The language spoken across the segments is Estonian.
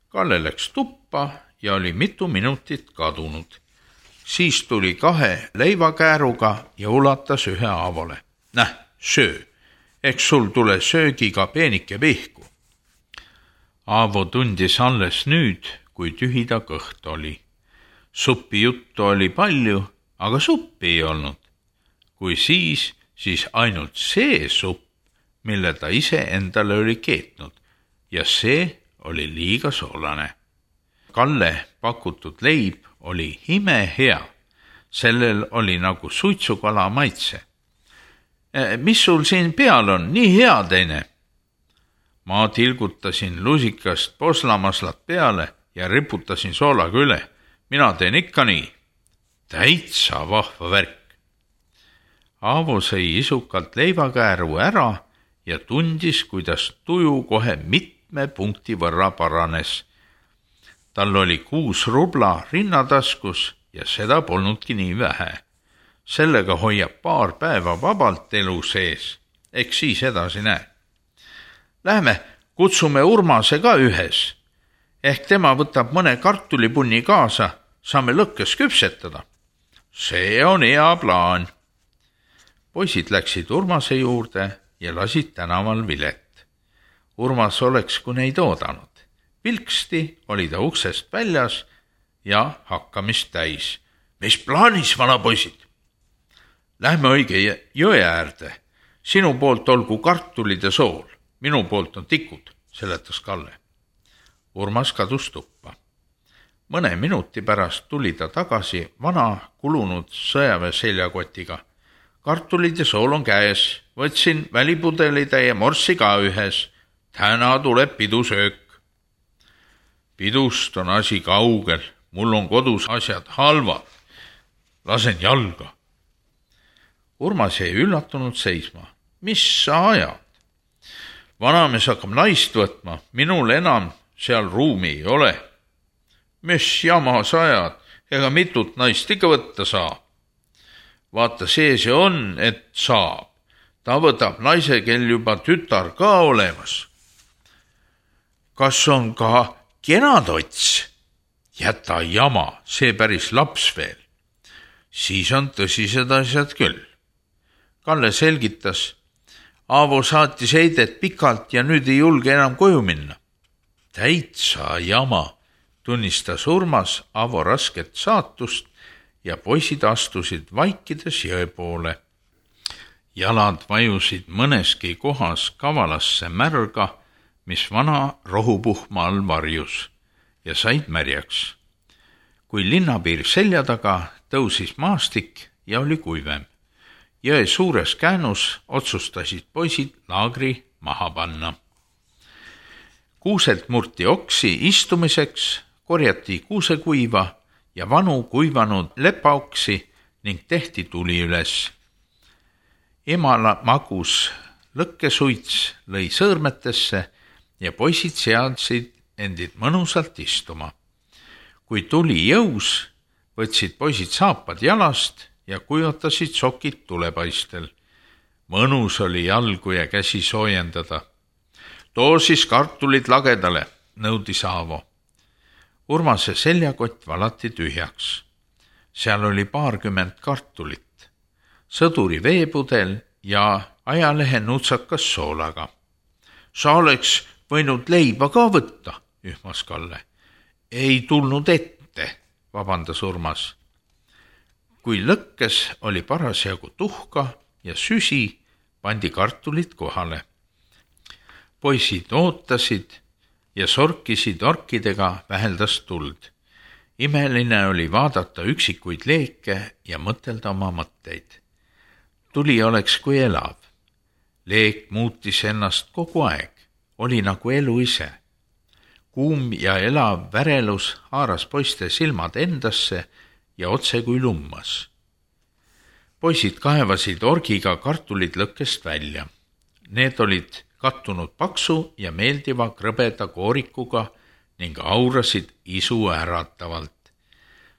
Kalle läks tuppa ja oli mitu minutit kadunud. Siis tuli 2 leivakääruga ja ulatas ühe Aavole. Näh, söö, eks sul tule söögiga peenike pihku. Aavo tundis alles nüüd, kui tühi ta kõht oli. Suppi juttu oli palju, aga suppi ei olnud. Kui siis ainult see supp, mille ta ise endale oli keetnud ja see oli liiga soolane. Kalle pakutud leib oli imehea. Sellel oli nagu suitsukala maitse. Mis sul siin peal on, nii hea teine? Ma tilgutasin lusikast poslamaslat peale ja riputasin soolaga üle. Mina teen ikka nii. Täitsa vahva värk. Aavo sõi isukalt leivakääru ära ja tundis, kuidas tuju kohe mitme punkti võrra paranes. Tal oli 6 rubla rinnataskus ja seda polnudki nii vähe. Sellega hoiab paar päeva vabalt elu sees. Eks siis edasi näe. Lähme, kutsume Urmase ka ühes. Ehk tema võtab mõne kartulipunni kaasa, saame lõkkes küpsetada. See on hea plaan. Poisid läksid Urmase juurde ja lasid tänaval vilet. Urmas oleks kui neid oodanud. Vilksti oli ta uksest väljas ja hakkamist täis. Mis plaanis, vanapoisid? Lähme õige jõe äärde. Sinu poolt olgu kartulid ja sool. Minu poolt on tikud, seletas Kalle. Urmas kadus tuppa. Mõne minuti pärast tuli ta tagasi vana kulunud sõjaväe seljakotiga. Kartulid ja sool on käes. Võtsin välipudelitäie morssi ka ühes. Täna tuleb pidusöök. Pidust on asi kaugel. Mul on kodus asjad halvad. Lasen jalga. Urmas jäi üllatunud seisma. Mis sa ajad? Vanamees hakkab naist võtma. Minul enam seal ruumi ei ole. Mis jama sa ajad? Ega mitut naist ikka võtta saa. Vaata, see on, et saab. Ta võtab naise, kel juba tütar ka olemas. Kas on ka kenatots? Jäta jama, see päris laps veel. Siis on tõsised asjad küll. Kalle selgitas. Aavo saatis heidet pikalt ja nüüd ei julge enam koju minna. Täitsa jama, tunnistas Urmas Aavo rasket saatust ja poisid astusid vaikides jõe poole. Jalad vajusid mõneski kohas kavalasse märga, mis vana rohupuhma all varjus ja said märjaks. Kui linnapiir selja taga tõusis maastik ja oli kuivem. Jõe suures käänus otsustasid poisid laagri maha panna. Kuuselt murti oksi istumiseks, korjati kuusekuiva ja vanu kuivanud lepaoksi ning tehti tuli üles. Emala magus lõkkesuits lõi sõõrmetesse ja poisid seadsid endid mõnusalt istuma. Kui tuli jõus, võtsid poisid saapad jalast ja kujotasid sokid tulepaistel. Mõnus oli jalgu ja käsi soojendada. Too siis kartulid lagedale, nõudis Aavo. Urmase seljakott valati tühjaks. Seal oli 20 kartulit, sõduri veepudel ja ajalehe nutsakas soolaga. Sa oleks võinud leiba ka võtta, ühmas Kalle. Ei tulnud ette, vabandas Urmas. Kui lõkkes oli parasjagu tuhka ja süsi, pandi kartulid kohale. Poisid ootasid ja sorkisid orkidega väheldast tuld. Imeline oli vaadata üksikuid leeke ja mõtelda oma mõtteid. Tuli oleks kui elav. Leek muutis ennast kogu aeg, oli nagu elu ise. Kuum ja elav värelus haaras poiste silmad endasse ja otse kui lummas. Poisid kaevasid orgiga kartulid lõkkest välja. Need olid kattunud paksu ja meeldiva krõbeda koorikuga ning aurasid isu äratavalt.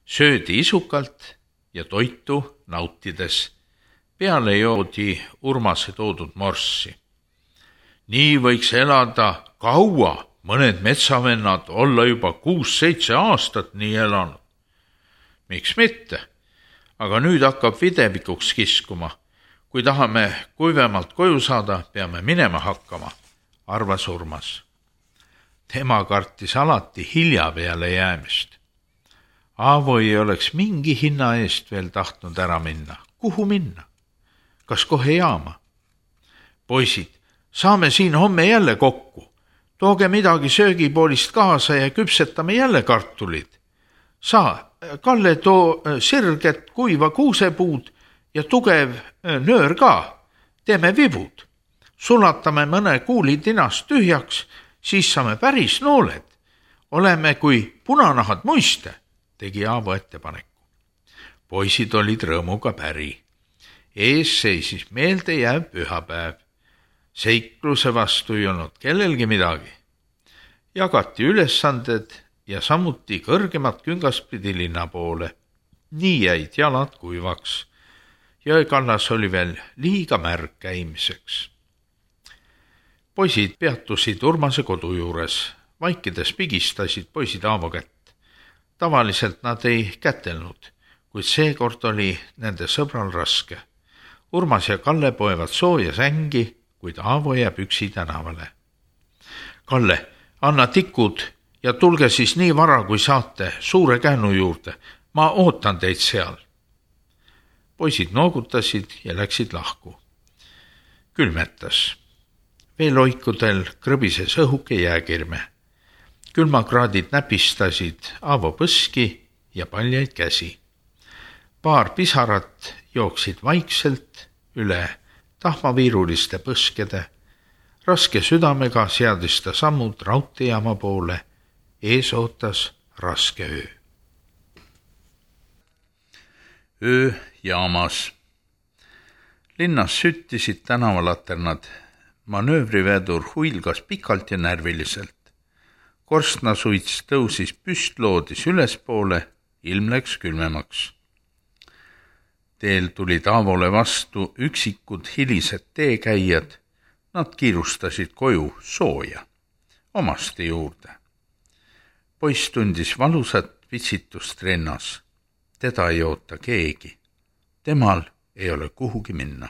Söödi isukalt ja toitu nautides. Peale joodi Urmase toodud morssi. Nii võiks elada kaua, mõned metsavennad olla juba 6-7 aastat nii elanud. Miks mitte? Aga nüüd hakkab videvikuks kiskuma. Kui tahame kuivemalt koju saada, peame minema hakkama, arvas Urmas. Tema kartis alati hilja peale jäämist. Aavo ei oleks mingi hinna eest veel tahtnud ära minna. Kuhu minna? Kas kohe jaama? Poisid, saame siin homme jälle kokku. Tooge midagi söögipoolist kaasa ja küpsetame jälle kartulid. Saa, Kalle, too sirget kuiva kuusepuud ja tugev nöör ka. Teeme vibud. Sulatame mõne kuuli tinast tühjaks, siis saame päris nooled. Oleme kui punanahad muiste, tegi Aavo ettepaneku. Poisid olid rõõmuga päri. Ees seisis meeldejääv pühapäev. Seikluse vastu ei olnud kellelgi midagi. Jagati ülesanded ja samuti kõrgemat küngaspidi linna poole. Nii jäid jalad kuivaks. Jõekallas oli veel liiga märg käimiseks. Poisid peatusid Urmase kodu juures. Vaikides pigistasid poisid Aavo kätt. Tavaliselt nad ei kätelnud, kuid seekord oli nende sõbral raske. Urmas ja Kalle poevad sooja sängi, kuid Aavo jääb üksi tänavale. Kalle, anna tikud ja tulge siis nii vara, kui saate suure käänu juurde. Ma ootan teid seal. Poisid noogutasid ja läksid lahku. Külmetas. Veeloikudel krõbises õhuke jääkirme. Külmakraadid näpistasid Aavo põski ja paljaid käsi. Paar pisarat jooksid vaikselt üle tahmaviiruliste põskede. Raske südamega seadis ta sammud raudteejaama poole. Ees ootas raske öö. Öö jaamas. Linnas süttisid tänavalaternad. Manöövrivedur huilgas pikalt ja närviliselt. Korstnasuits tõusis püstloodis ülespoole, ilm läks külmemaks. Teel tulid Aavole vastu üksikud hilised teekäijad. Nad kiirustasid koju sooja, omaste juurde. Poiss tundis valusat vitsitust rinnas. Teda ei oota keegi. Temal ei ole kuhugi minna.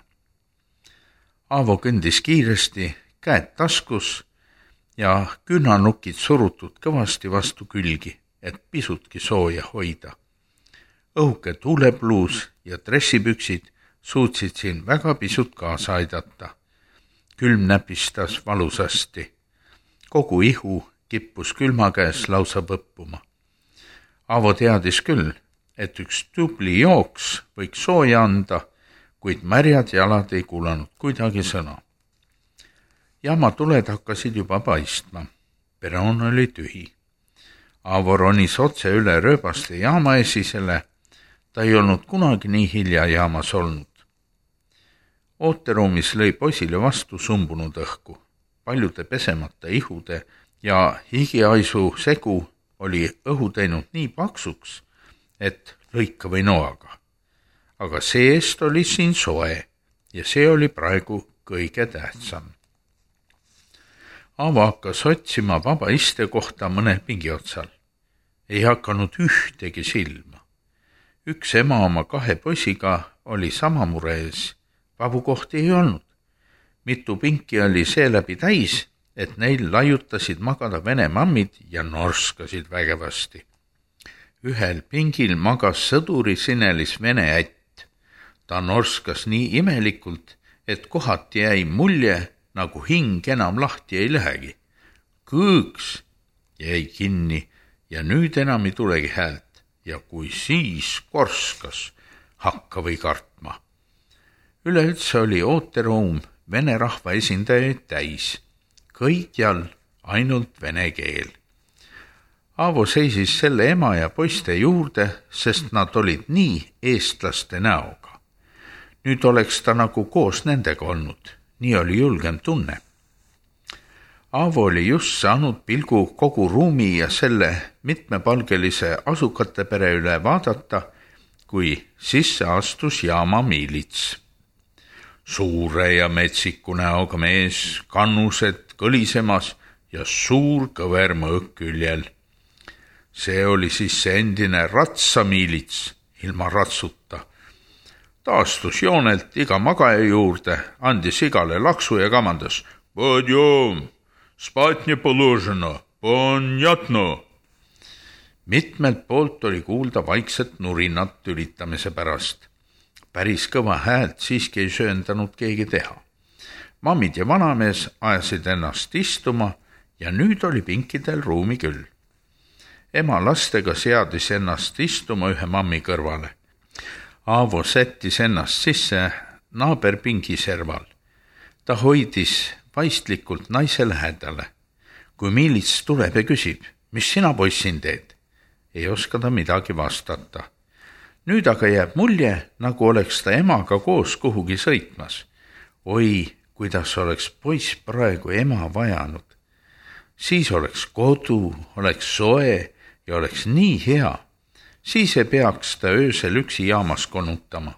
Aavo kõndis kiiresti, käed taskus ja küünanukid surutud kõvasti vastu külgi, et pisutki sooja hoida. Õhuke tuulepluus ja dressipüksid suutsid siin väga pisut kaasa aidata. Külm näpistas valusasti. Kogu ihu kippus külma käes lausa põppuma. Aavo teadis küll, et üks tubli jooks võiks sooja anda, kuid märjad jalad ei kuulanud kuidagi sõna. Jaama tuled hakkasid juba paistma. Peroon oli tühi. Aavo ronis otse üle rööbaste jaama esisele. Ta ei olnud kunagi nii hilja jaamas olnud. Ooteruumis lõi poisile vastu sumbunud õhku. Paljude pesemata ihude ja higiaisu segu oli õhu teinud nii paksuks, et lõika või noaga. Aga seest oli siin soe ja see oli praegu kõige tähtsam. Aavo hakkas otsima vaba istekohta mõne pingi otsal. Ei hakanud ühtegi silma. Üks ema oma 2 poisiga oli sama mure ees. Vabu kohti ei olnud. Mitu pinki oli seeläbi täis, et neil laiutasid magada vene mammid ja norskasid vägevasti. Ühel pingil magas sõduri sinelis vene ätt. Ta norskas nii imelikult, et kohati jäi mulje, nagu hing enam lahti ei lähegi. Kõõks jäi kinni ja nüüd enam ei tulegi häält. Ja kui siis korskas, hakka või kartma. Üleüldse oli ooteruum vene rahva esindajaid täis. Kõikjal ainult vene keel. Aavo seisis selle ema ja poiste juurde, sest nad olid nii eestlaste näoga. Nüüd oleks ta nagu koos nendega olnud. Nii oli julgem tunne. Aavo oli just saanud pilgu kogu ruumi ja selle mitmepalgelise asukate pere üle vaadata, kui sisse astus jaama miilits. Suure ja metsiku näoga mees, kannused kõlisemas ja suur kõver mõõk küljel. See oli siis see endine ratsamiilits ilma ratsuta. Taastus joonelt iga magaja juurde, andis igale laksu ja kamandas: "Podjom, spать не положено, понятно." Mitmelt poolt oli kuulda vaikset nurinat tülitamise pärast. Päris kõva häält siiski ei sööndanud keegi teha. Mammid ja vanamees ajasid ennast istuma ja nüüd oli pinkidel ruumi küll. Ema lastega seadis ennast istuma ühe mammi kõrvale. Aavo sättis ennast sisse naaberpingi serval. Ta hoidis vaistlikult naise lähedale. Kui miilits tuleb ja küsib: "Mis sina poissin teed?" Ei oska ta midagi vastata. Nüüd aga jääb mulje, nagu oleks ta emaga koos kuhugi sõitmas. Oi, kuidas oleks poiss praegu ema vajanud. Siis oleks kodu, oleks soe ja oleks nii hea. Siis ei peaks ta öösel üksi jaamas konutama.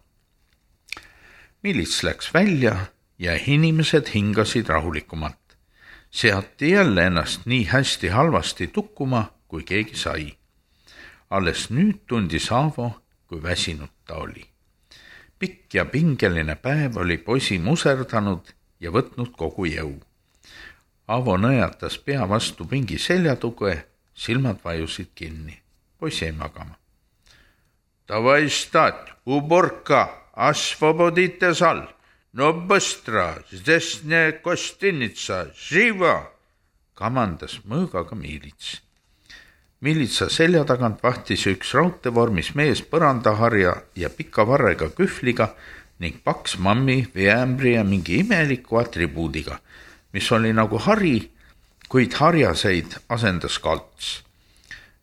Miilits läks välja ja inimesed hingasid rahulikumalt. Seati jälle ennast nii hästi halvasti tukkuma, kui keegi sai. Alles nüüd tundis Aavo, kui väsinud ta oli. Pikk ja pingeline päev oli poisi muserdanud ja võtnud kogu jõu. Aavo nõjatas pea vastu pingi seljatuge, silmad vajusid kinni. Poiss jäi magama. "Davai stat, uborka, osvobodite sal. No bõstra, здесь не гостиница, živa!" kamandas mõõgaga miilits. Miilitsa selja tagant vahtis üks raudteevormis mees põrandaharja ja pika varrega kühvliga ning paks mammi veeämbri ja mingi imeliku atribuudiga, mis oli nagu hari, kuid harjaseid asendas kalts.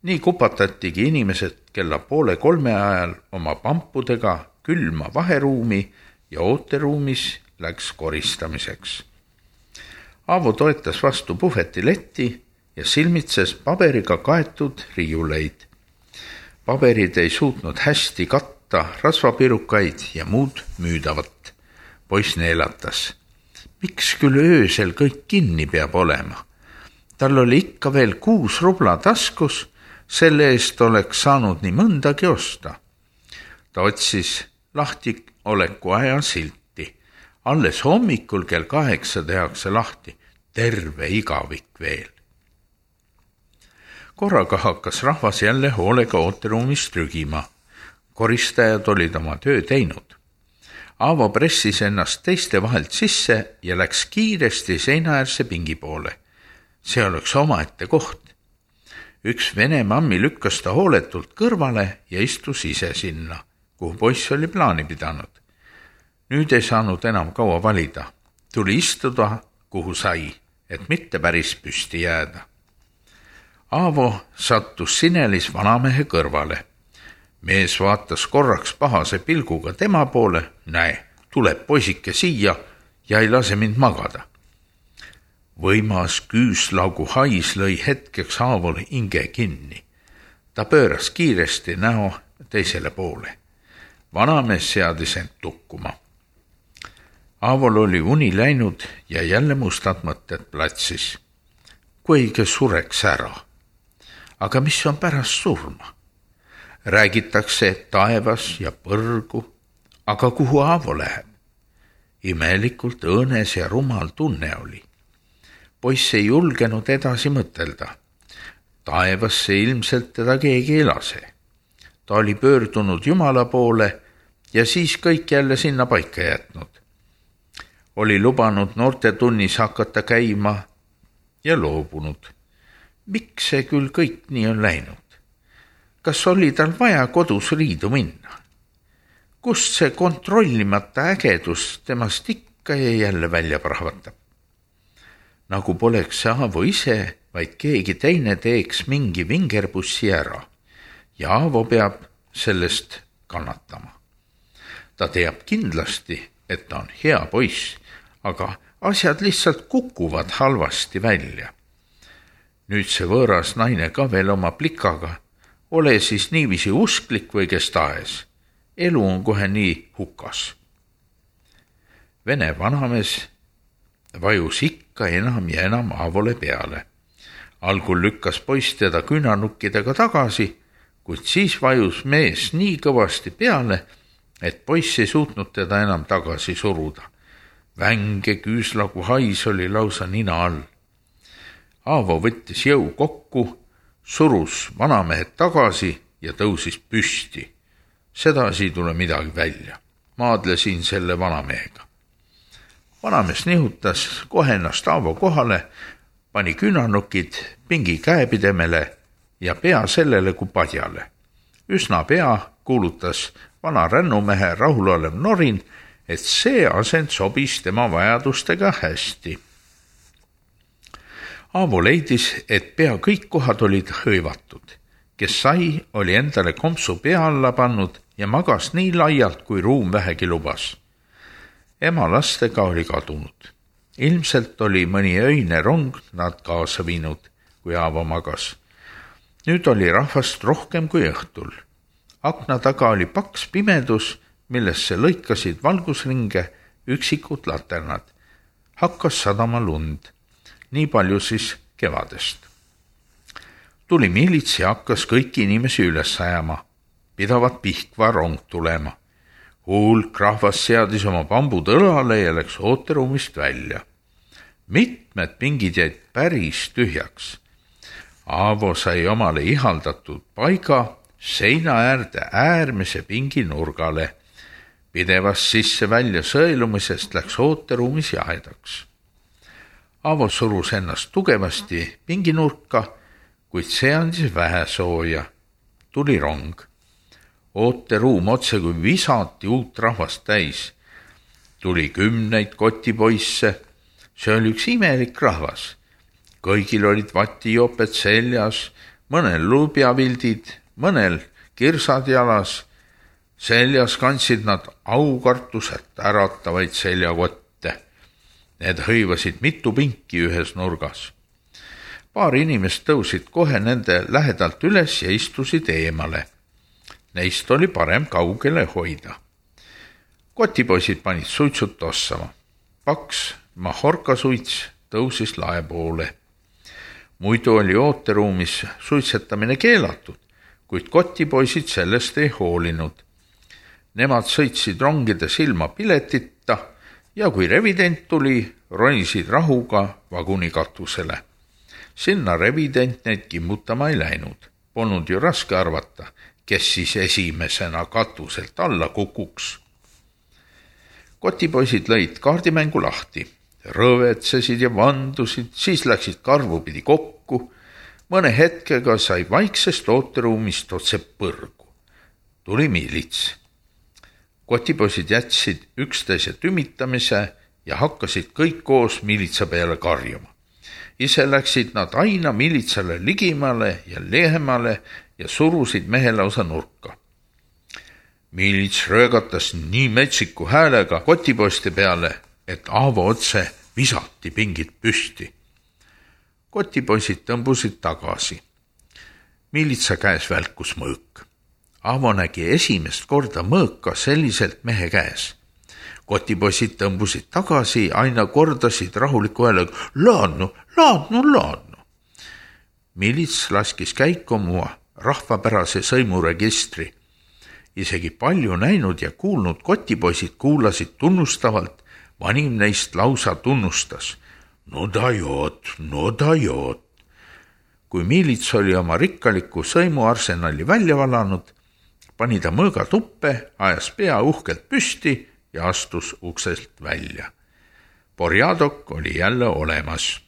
Nii kupatatigi inimesed kella 2:30 ajal oma pampudega külma vaheruumi ja ooteruumis läks koristamiseks. Aavo toetas vastu puhvetiletti ja silmitses paberiga kaetud riiuleid. Paberid ei suutnud hästi katta rasvapirukaid ja muud müüdavat. Poiss neelatas. Miks küll öösel kõik kinni peab olema? Tal oli ikka veel 6 rubla taskus, selle eest oleks saanud nii mõndagi osta. Ta otsis lahti oleku aja silti. Alles hommikul kell 8 tehakse lahti. Terve igavik veel. Korraga hakkas rahvas jälle hoolega ooteruumis trügima. Koristajad olid oma töö teinud. Aavo pressis ennast teiste vahelt sisse ja läks kiiresti seinaäärse pingi poole. See oleks omaette koht. Üks vene mammi lükkas ta hooletult kõrvale ja istus ise sinna, kuhu poiss oli plaani pidanud. Nüüd ei saanud enam kaua valida. Tuli istuda, kuhu sai, et mitte päris püsti jääda. Aavo sattus sinelis vanamehe kõrvale. Mees vaatas korraks pahase pilguga tema poole. Näe, tuleb poisike siia ja ei lase mind magada. Võimas küüslaugu hais lõi hetkeks Aavole hinge kinni. Ta pööras kiiresti näo teisele poole. Vanamees seadis end tukkuma. Aavol oli uni läinud ja jälle mustad mõtted platsis. Kuigi sureks ära. Aga mis on pärast surma? Räägitakse taevas ja põrgu, aga kuhu Aavo läheb? Imelikult õõnes ja rumal tunne oli. Poiss ei julgenud edasi mõtelda. Taevasse ilmselt teda keegi ei lase. Ta oli pöördunud Jumala poole ja siis kõik jälle sinna paika jätnud. Oli lubanud noortetunnis hakata käima ja loobunud. Miks see küll kõik nii on läinud? Kas oli tal vaja kodus riidu minna? Kust see kontrollimata ägedus temast ikka ja jälle välja prahvatab? Nagu poleks see Aavo ise, vaid keegi teine teeks mingi vingerbussi ära ja Aavo peab sellest kannatama. Ta teab kindlasti, et ta on hea poiss, aga asjad lihtsalt kukuvad halvasti välja. Nüüd see võõras naine ka veel oma plikaga. Ole siis niiviisi usklik või kes tahes. Elu on kohe nii hukas. Vene vanamees vajus ikka enam ja enam Aavole peale. algul lükkas poiss teda küünarnukkidega tagasi, kuid siis vajus mees nii kõvasti peale, et poiss ei suutnud teda enam tagasi suruda. Vänge küüslagu hais oli lausa nina all. Aavo võttis jõu kokku, surus vanamehed tagasi ja tõusis püsti. Sedasi ei tule midagi välja. Maadlesin selle vanamehega. Vanamees nihutas kohe ennast Aavo kohale, pani küünarnukid pingi käepidemele ja pea sellele kui padjale. Üsna pea kuulutas vana rännumehe rahulolev norin, et see asend sobis tema vajadustega hästi. Aavo leidis, et pea kõik kohad olid hõivatud. Kes sai, oli endale kompsu pea alla pannud ja magas nii laialt, kui ruum vähegi lubas. Ema lastega oli kadunud. Ilmselt oli mõni öine rong nad kaasa viinud, kui Aavo magas. Nüüd oli rahvast rohkem kui õhtul. Akna taga oli paks pimedus, millesse lõikasid valgusringe üksikud laternad. Hakkas sadama lund. Nii palju siis kevadest. Tuli miilits ja hakkas kõiki inimesi üles ajama. Pidavat Pihkva rong tulema. Hulk rahvas seadis oma pambud õlale ja läks ooteruumist välja. Mitmed pingid jäid päris tühjaks. Aavo sai omale ihaldatud paiga seina äärde äärmise pingi nurgale. Pidevast sisse välja sõelumisest läks ooteruumis jahedaks. Aavo surus ennast tugevasti pinginurka, kuid see andis vähe sooja. Tuli rong. Ooteruum otse kui visati uut rahvast täis. Tuli 10 kotipoisse. See oli üks imelik rahvas. Kõigil olid vatijoped seljas, mõnel lubjavildid, mõnel kirsad jalas. Seljas kandsid nad aukartuselt äratavaid seljakotte. Need hõivasid mitu pinki ühes nurgas. Paar inimest tõusid kohe nende lähedalt üles ja istusid eemale. Neist oli parem kaugele hoida. Kotipoisid panid suitsut tossama. Paks mahorkasuits tõusis lae poole. Muidu oli ooteruumis suitsetamine keelatud, kuid kotipoisid sellest ei hoolinud. Nemad sõitsid rongides ilma piletita ja kui revident tuli, ronisid rahuga vaguni katusele. Sinna revident neid kimbutama ei läinud. Polnud ju raske arvata, kes siis esimesena katuselt alla kukuks. Kotipoisid lõid kaardimängu lahti. Rõvetsesid ja vandusid, siis läksid karvupidi kokku. Mõne hetkega sai vaiksest ooteruumist otse põrgu. Tuli miilits. Kotipoisid jätsid üksteise tümitamise ja hakkasid kõik koos miilitsa peale karjuma. Ise läksid nad aina miilitsale ligimale ja lehemale ja surusid mehe lausa nurka. Miilits röögatas nii metsiku häälega kotipoiste peale, et Aavo otse visati pingid püsti. Kotipoisid tõmbusid tagasi. Miilitsa käes välkus mõõk. Aavo nägi esimest korda mõõka selliselt mehe käes. Kotipoisid tõmbusid tagasi, aina kordasid rahuliku häälega laadnu. Miilits laskis käiku oma rahvapärase sõimuregistri. Isegi palju näinud ja kuulnud kotipoisid kuulasid tunnustavalt, vanim neist lausa tunnustas. No dajot. Kui miilits oli oma rikkaliku sõimuarsenali välja valanud, pani ta mõõga tuppe, ajas pea uhkelt püsti ja astus uksest välja. Porjadok oli jälle olemas.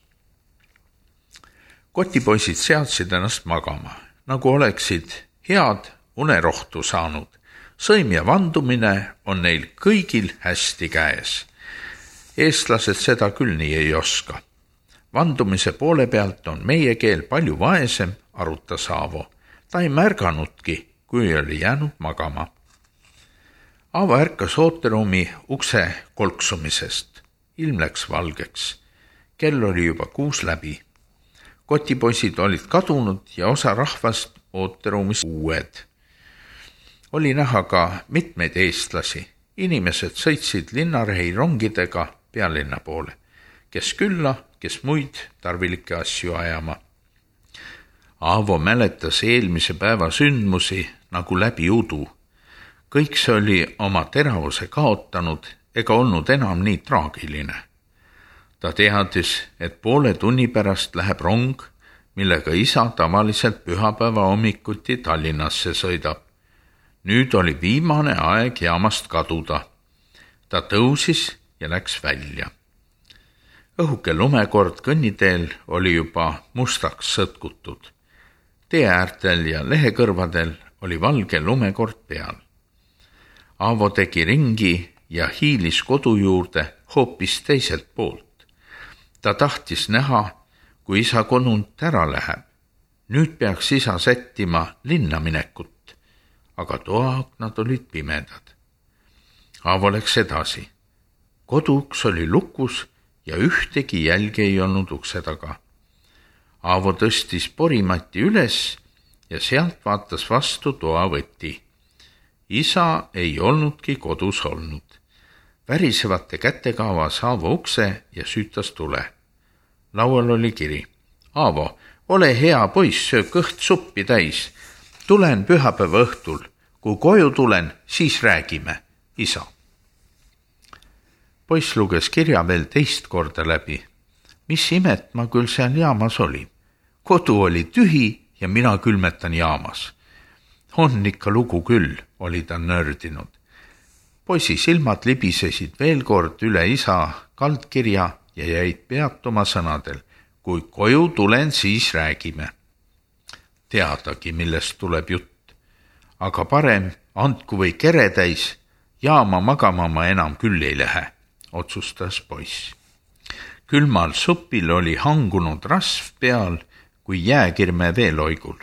Kotipoisid seadsid ennast magama, nagu oleksid head unerohtu saanud. Sõim ja vandumine on neil kõigil hästi käes. Eestlased seda küll nii ei oska. Vandumise poole pealt on meie keel palju vaesem, arutas Aavo. Ta ei märganudki, kui oli jäänud magama. Aavo ärkas ooteruumi ukse kolksumisest. Ilm läks valgeks. Kell oli juba 6 läbi. Kotipoisid olid kadunud ja osa rahvast ooteruumis uued. Oli näha ka mitmeid eestlasi. Inimesed sõitsid linnarehi rongidega pealinna poole. Kes külla, kes muid tarvilikke asju ajama. Aavo mäletas eelmise päeva sündmusi nagu läbi udu. Kõik see oli oma teravuse kaotanud ega olnud enam nii traagiline. Ta teadis, et poole tunni pärast läheb rong, millega isa tavaliselt pühapäeva hommikuti Tallinnasse sõidab. Nüüd oli viimane aeg jaamast kaduda. Ta tõusis ja läks välja. Õhuke lumekord kõnniteel oli juba mustaks sõtkutud. Tee äärtel ja lehekõrvadel oli valge lumekord peal. Aavo tegi ringi ja hiilis kodu juurde hoopis teiselt poolt. Ta tahtis näha, kui isa kodunt ära läheb. Nüüd peaks isa sättima linna minekut, aga toaaknad olid pimedad. Aavo läks edasi. Koduuks oli lukus ja ühtegi jälge ei olnud ukse taga. Aavo tõstis porimati üles ja sealt vaatas vastu toavõti. Isa ei olnudki kodus olnud. Värisevate kätega avas Aavo ukse ja süütas tule. Laual oli kiri. Aavo, ole hea poiss, söö kõht suppi täis. Tulen pühapäeva õhtul. Kui koju tulen, siis räägime. Isa. Poiss luges kirja veel teist korda läbi. Mis imet ma küll seal jaamas oli. Kodu oli tühi ja mina külmetan jaamas. On ikka lugu küll, oli ta nördinud. Poisi silmad libisesid veel kord üle isa kaldkirja ja jäid peatuma sõnadel. Kui koju tulen, siis räägime. Teadagi, millest tuleb jutt. Aga parem andku või kere täis, jaama magama ma enam küll ei lähe, otsustas poiss. Külmal supil oli hangunud rasv peal, kui jääkirme veeloigul.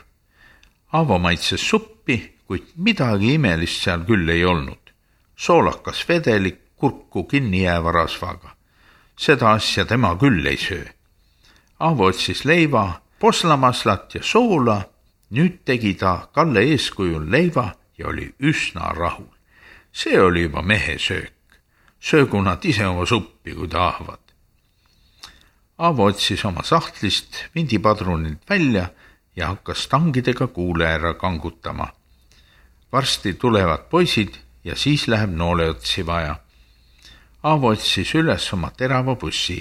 Aavo maitses suppi, kuid midagi imelist seal küll ei olnud. Soolakas vedelik kurku kinni jääva rasvaga. Seda asja tema küll ei söö. Aavo otsis leiva, poslamaslat ja soola. Nüüd tegi ta Kalle eeskujul leiva ja oli üsna rahul. See oli juba mehe söök. Söögu nad ise oma suppi, kui tahavad. Aavo otsis oma sahtlist vindipadrunid välja ja hakkas tangidega kuule ära kangutama. Varsti tulevad poisid ja siis läheb nooleotsi vaja. Aavo otsis üles oma terava bussi,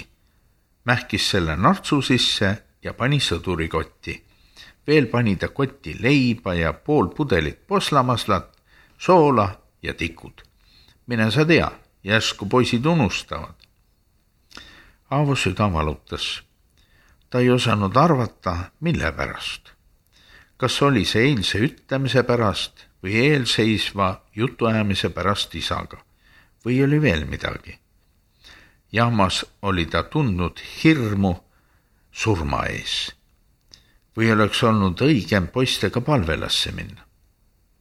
mähkis selle nartsu sisse ja pani sõdurikotti. Veel pani ta kotti leiba ja pool pudelit poslamaslat, soola ja tikud. Mine sa tea, järsku poisid unustavad. Aavo süda valutas. Ta ei osanud arvata, mille pärast. Kas oli see eilse ütlemise pärast või eelseisva jutuajamise pärast isaga või oli veel midagi. Jaamas oli ta tundnud hirmu surma ees. Või oleks olnud õigem poistega palvelasse minna?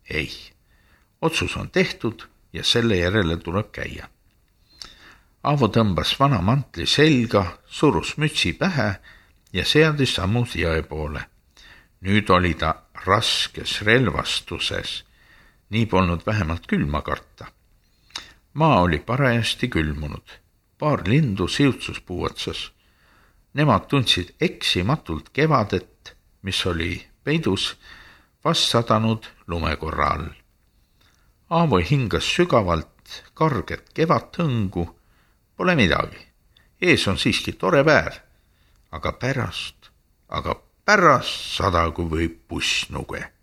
Ei. Otsus on tehtud ja selle järele tuleb käia. Aavo tõmbas vana mantli selga, surus mütsi pähe ja seadis sammus jõe poole. Nüüd oli ta raskes relvastuses. Nii polnud vähemalt külma karta. Maa oli parajasti külmunud. Paar lindu siutsuspuu otsas. Nemad tundsid eksimatult kevadet, mis oli peidus vast sadanud lumekorra all. Aavo hingas sügavalt karget kevathõngu. Pole midagi. Ees on siiski tore päev. Aga pärast sadagu võib buss nuge.